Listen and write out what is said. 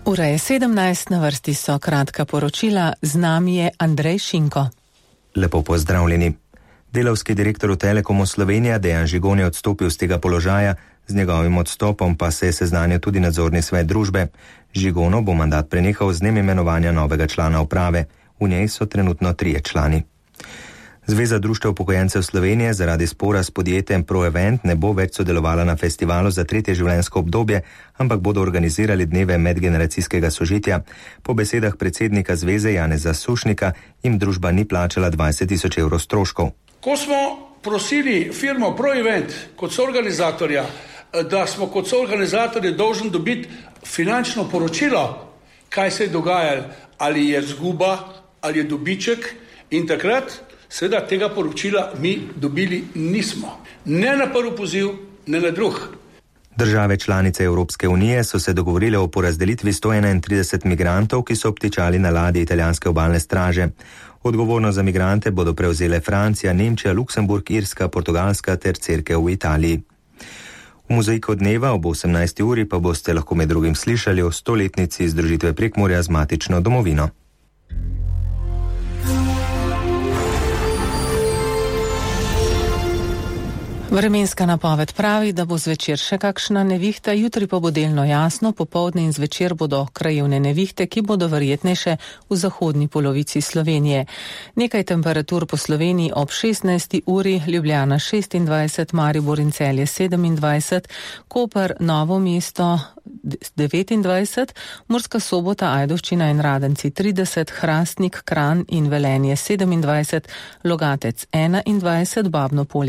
Ura je 17, na vrsti so kratka poročila, z nami je Andrej Šinko. Lepo pozdravljeni. Delavski direktor v Telekomu Slovenija Dejan Žigon je odstopil z tega položaja, z njegovim odstopom pa se je seznanil tudi nadzorni svet družbe. Žigono bo mandat prenehal z dnem imenovanja novega člana uprave. V njej so trenutno 3 člani. Zveza društev upokojencev Slovenije zaradi spora s podjetjem ProEvent ne bo več sodelovala na festivalu za 3. življenjsko obdobje, ampak bodo organizirali dneve medgeneracijskega sožitja. Po besedah predsednika zveze Janeza Sušnika jim družba ni plačala 20.000 evrov stroškov. Ko smo prosili firmo ProEvent kot soorganizatorja, da smo kot soorganizatorji dolžni dobiti finančno poročilo, kaj se je dogajalo, ali je izguba, ali je dobiček, in takrat seveda tega poročila mi dobili nismo. Ne na prvi poziv, ne na drug. Države članice Evropske unije so se dogovorile o porazdelitvi 131 migrantov, ki so obtičali na ladji italijanske obalne straže. Odgovornost za migrante bodo prevzele Francija, Nemčija, Luksemburg, Irska, Portugalska ter Cerkev v Italiji. V mozaiku dneva ob 18. uri pa boste lahko med drugim slišali o 100-letnici združitve Prekmurja z matično domovino. Vremenska napoved pravi, da bo zvečer še kakšna nevihta, jutri pa bo delno jasno, popoldne in zvečer bodo krajevne nevihte, ki bodo verjetnejše v zahodni polovici Slovenije. Nekaj temperatur po Sloveniji ob 16. uri, Ljubljana 26, Maribor in Celje 27, Koper, Novo mesto 29, Murska Sobota, Ajdovščina in Radenci 30, Hrastnik, Kranj in Velenje 27, Logatec 21, Babno Polje